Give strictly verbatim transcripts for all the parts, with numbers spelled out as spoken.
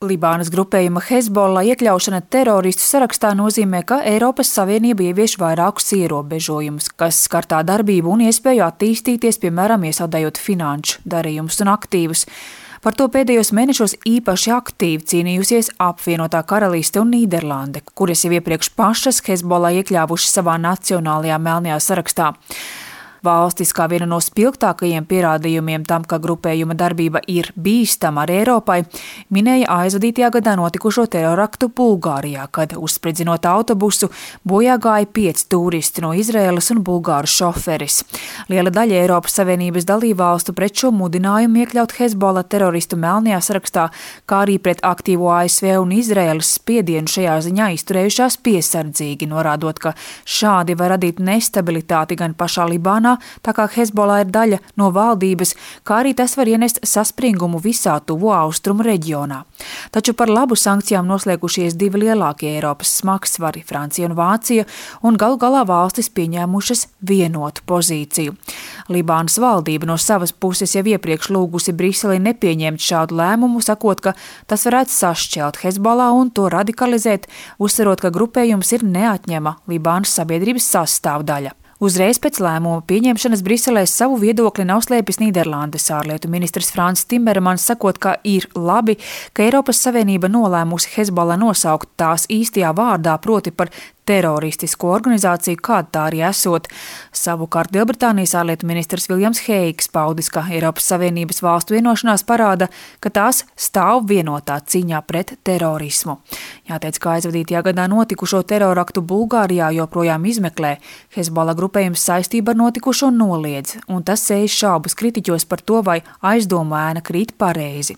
Libānas grupējuma Hezbollah iekļaušana teroristu sarakstā nozīmē, ka Eiropas Savienība ievieš vairākus ierobežojumus, kas skar tā darbību un iespēju attīstīties, piemēram, iesaldējot finanšu darījumus un aktīvus. Par to pēdējos mēnešos īpaši aktīvi cīnījusies apvienotā Karaliste un Nīderlande, kuras jau iepriekš pašas Hezbollah iekļāvuši savā nacionālajā melnajā sarakstā. Valstis kā viena no spilgtākajiem pierādījumiem tam, ka grupējuma darbība ir bīstama arī Eiropai, minēja aizvadītajā gadā notikušo teroraktu Bulgārijā, kad, uzspridzinot autobusu, bojā gāja pieci turisti no Izraēlas un bulgāru šoferis. Liela daļa Eiropas Savienības dalībvalstu pret šo mudinājumu iekļaut Hezbollah teroristu melnajā sarakstā, kā arī pret aktīvo A S V un Izraēlas spiedienu šajā ziņā izturējušās piesardzīgi, norādot, ka šādi var radīt nestabilitāti gan pašā Libānā, tā kā Hezbollah ir daļa no valdības, kā arī tas var ienest saspringumu visā tuvo austrumu reģionā. Taču par labu sankcijām noslēgušies divi lielākie Eiropas smagsvari, Francija un Vācija, un galu galā valstis pieņēmušas vienotu pozīciju. Libānas valdība no savas puses jau iepriekš lūgusi Briseli nepieņemt šādu lēmumu, sakot, ka tas varētu sašķelt Hezbollah un to radikalizēt, uzsverot, ka grupējums ir neatņema Libānas sabiedrības sastāvdaļa. Uzreiz pēc lēmuma pieņemšanas Briselē savu viedokli nav slēpis Nīderlandes ārlietu ministrs Frans Timmermans, sakot, ka ir labi, ka Eiropas Savienība nolēmusi Hezbollah nosaukt tās īstajā vārdā, proti par teroristisko organizāciju, kāda tā arī esot. Savukārt Lielbritānijas ārlietu ministrs Viljams Heigs paudis, ka Eiropas Savienības valstu vienošanās parāda, ka tās stāv vienotā cīņā pret terorismu. Jāteic, ka aizvadītajā gadā notikušo teroraktu Bulgārijā joprojām izmeklē. Hezbollah grupējums saistība ar notikušo noliedz, un tas sēž šaubas kritiķos par to, vai aizdomu ēna krīt pareizi.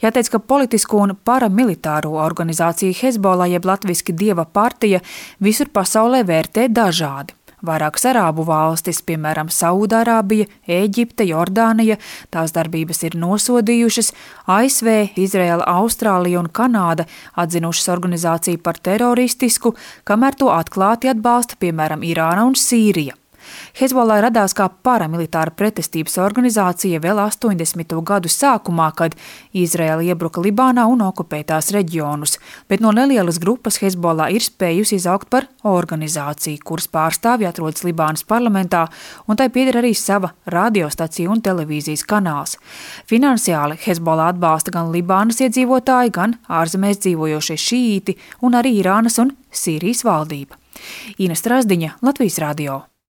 Jāteic, ka politisko un paramilitāro organizāciju Hezbollah, jeb latviski Dieva partija, visur pasaulē vērtē dažādi. Vairākas arābu valstis, piemēram, Saūdārābija, Ēģipte, Jordānija, tās darbības ir nosodījušas, A S V, Izraela, Austrālija un Kanāda atzinušas organizāciju par teroristisku, kamēr to atklāti atbalsta, piemēram, Irāna un Sīrija. Hezbollah radās kā paramilitāra pretestības organizācija vēl astoņdesmito gadu sākumā, kad Izraela iebruka Libānā un okupēja tās reģionus, bet no nelielas grupas Hezbollah ir spējusi izaugt par organizāciju, kuras pārstāvji atrodas Libānas parlamentā, un tai pieder arī sava radiostacija un televīzijas kanāls. Finansiāli Hezbollah atbalsta gan Libānas iedzīvotāji, gan ārzemēs dzīvojošie šīīti un arī Irānas un Sīrijas valdība. Ina Strazdiņa, Latvijas radio.